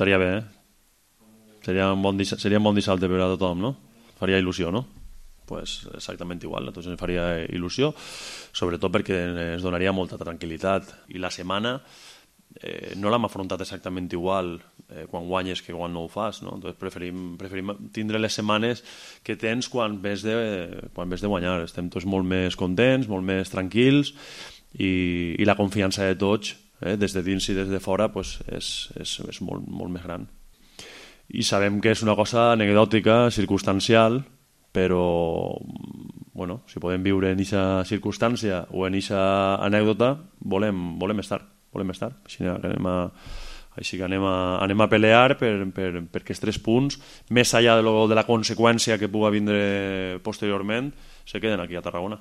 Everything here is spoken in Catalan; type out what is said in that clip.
estaria bé, seria un bon dissabte per a tothom, no? Faria il·lusió, no? Pues exactament igual, a tots ens faria il·lusió, sobretot perquè ens donaria molta tranquil·litat. I la setmana no l'hem afrontat exactament igual quan guanyes que quan no ho fas, no? Entonces preferim tindre les setmanes que tens quan ves de guanyar. Estem tots molt més contents, molt més tranquils i la confiança de tots, des de dins i des de fora, pues, és molt, molt més gran. I sabem que és una cosa anecdòtica, circumstancial, però bueno, si podem viure en aquesta circumstància o en aquesta anècdota, volem estar. Així que anem a pelear per aquests 3 punts, més enllà de la conseqüència que pugui vindre posteriorment, se queden aquí a Tarragona.